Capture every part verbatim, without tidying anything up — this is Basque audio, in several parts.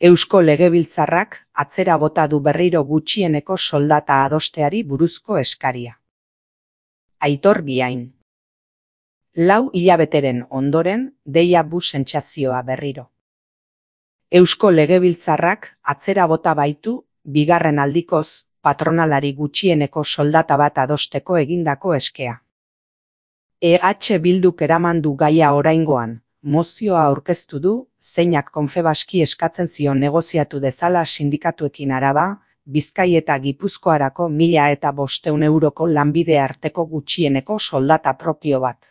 Eusko Legebiltzarrak atzera bota du berriro gutxieneko soldata adosteari buruzko eskaria. Aitor Biain. Lau hilabeteren ondoren, deia bu sentsazioa berriro. Eusko Legebiltzarrak atzera bota baitu, bigarren aldikoz, patronalari gutxieneko soldata bat adosteko egindako eskea. E H Bilduk eraman du gaia oraingoan, mozioa aurkeztu du, zeinak Confebaski eskatzen zion negoziatu dezala sindikatuekin Araba, Bizkai eta Gipuzkoarako mila eta bosteun euroko lanbide arteko gutxieneko soldata propio bat.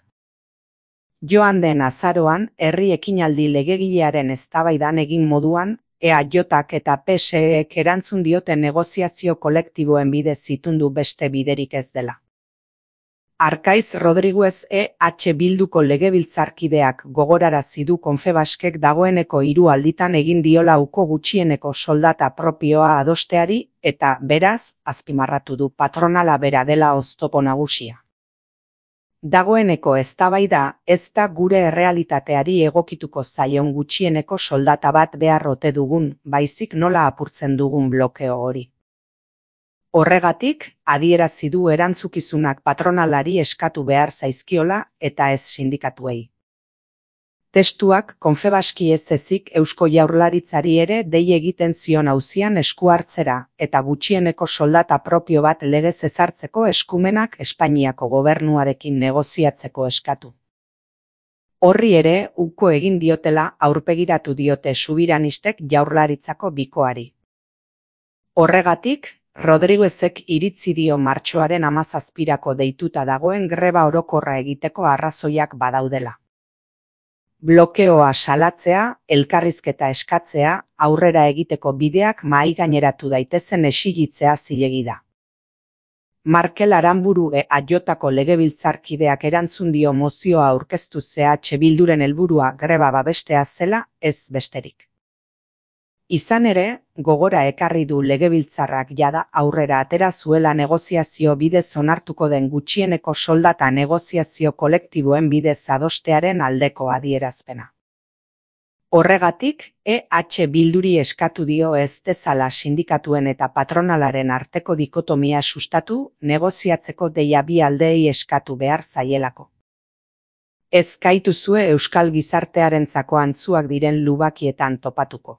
Joan den azaroan, herri ekinaldi legegilearen eztabaidan egin moduan, E A Jak eta P S Ek erantzun diote negoziazio kolektiboen bidez zitundu beste biderik ez dela. Arkaiz Rodriguez E H Bilduko legebiltzarkideak gogorarazi du Confebaskek dagoeneko hiru alditan egin diola uko gutxieneko soldata propioa adosteari eta, beraz, azpimarratu du patronala bera dela oztopo nagusia. Dagoeneko eztabaida ez da gure errealitateari egokituko zaion gutxieneko soldata bat behar ote dugun, baizik nola apurtzen dugun blokeo hori. Horregatik, adierazi du erantzukizunak patronalari eskatu behar zaizkiola eta ez sindikatuei. Testuak Confebaski ez ezik Eusko Jaurlaritzari ere dei egiten zion auzian esku hartzera eta gutxieneko soldata propio bat legez ezartzeko eskumenak Espainiako gobernuarekin negoziatzeko eskatu. Horri ere, uko egin diotela aurpegiratu diote subiranistek Jaurlaritzako bikoari. Horregatik, Rodriguezek iritzi dio martxoaren hamazazpirako deituta dagoen greba orokorra egiteko arrazoiak badaudela. Blokeoa salatzea, elkarrizketa eskatzea, aurrera egiteko bideak mahai gaineratu daitezen exigitzea zilegi da. Markel Aranburu E A Jko legebiltzarkideak erantzun dio mozioa aurkeztu E H Bilduren helburua greba babestea zela, ez besterik. Izan ere, gogora ekarri du legebiltzarrak jada aurrera atera zuela negoziazio bidez onartuko den gutxieneko soldata negoziazio kolektiboen bidez adostearen aldeko adierazpena. Horregatik, E H Bilduri eskatu dio ez dezala sindikatuen eta patronalaren arteko dikotomia sustatu, negoziatzeko deia bi aldeei eskatu behar zaielako. Ez gaituzue euskal gizartearentzako antzuak diren lubakietan topatuko.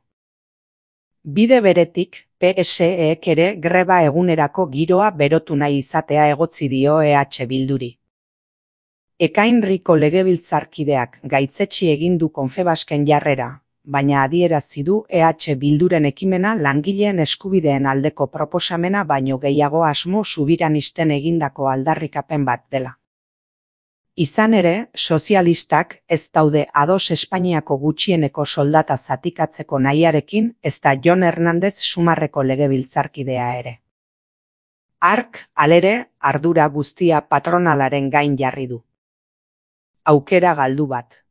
Bide beretik, P S Ek ere greba egunerako giroa berotu nahi izatea egotzi dio E H Bilduri. Ekainriko legebiltzarkideak gaitzetsi egin du Confebasken jarrera, baina adierazi du E H Bilduren ekimena langileen eskubideen aldeko proposamena baino gehiago asmo subiranisten egindako aldarrikapen bat dela. Izan ere, sozialistak ez daude ados Espainiako gutxieneko soldata zatikatzeko nahiarekin ezta Jon Hernandez Sumarreko legebiltzarkidea ere. Hark, halere, ardura guztia patronalaren gain jarri du. Aukera galdu bat.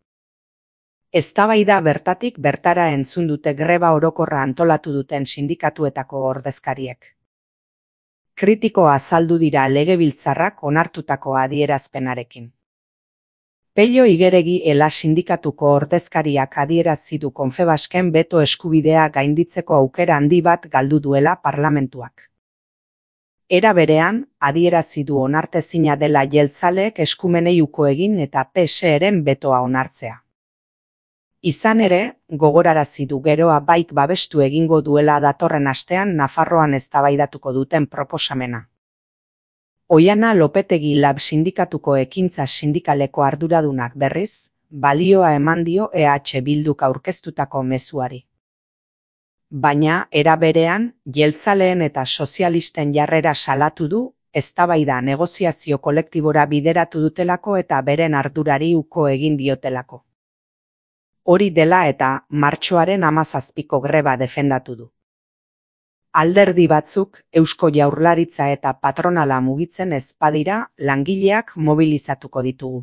Eztabaida bertatik bertara entzun dute greba orokorra antolatu duten sindikatuetako ordezkariek. Kritiko azaldu dira legebiltzarrak onartutako adierazpenarekin. Pello Igeregi Ela sindikatuko ordezkariak adierazi du Confebasken beto eskubidea gainditzeko aukera handi bat galdu duela parlamentuak. Era berean, adierazi du onartezina dela jeltzaleek eskumenei uko egin eta P S Eren betoa onartzea. Izan ere, gogorarazi du geroa baik babestu egingo duela datorren astean Nafarroan eztabaidatuko duten proposamena. Oiana Lopetegi Lab sindikatuko ekintza sindikaleko arduradunak berriz, balioa eman dio E H Bilduk aurkeztutako mezuari. Baina, era berean, jeltzaleen eta sozialisten jarrera salatu du, eztabaida negoziazio kolektibora bideratu dutelako eta beren ardurari uko egin diotelako. Hori dela eta martxoaren hamazazpiko greba defendatu du. Alderdi batzuk, Eusko Jaurlaritza eta patronala mugitzen ez badira, langileak mobilizatuko ditugu.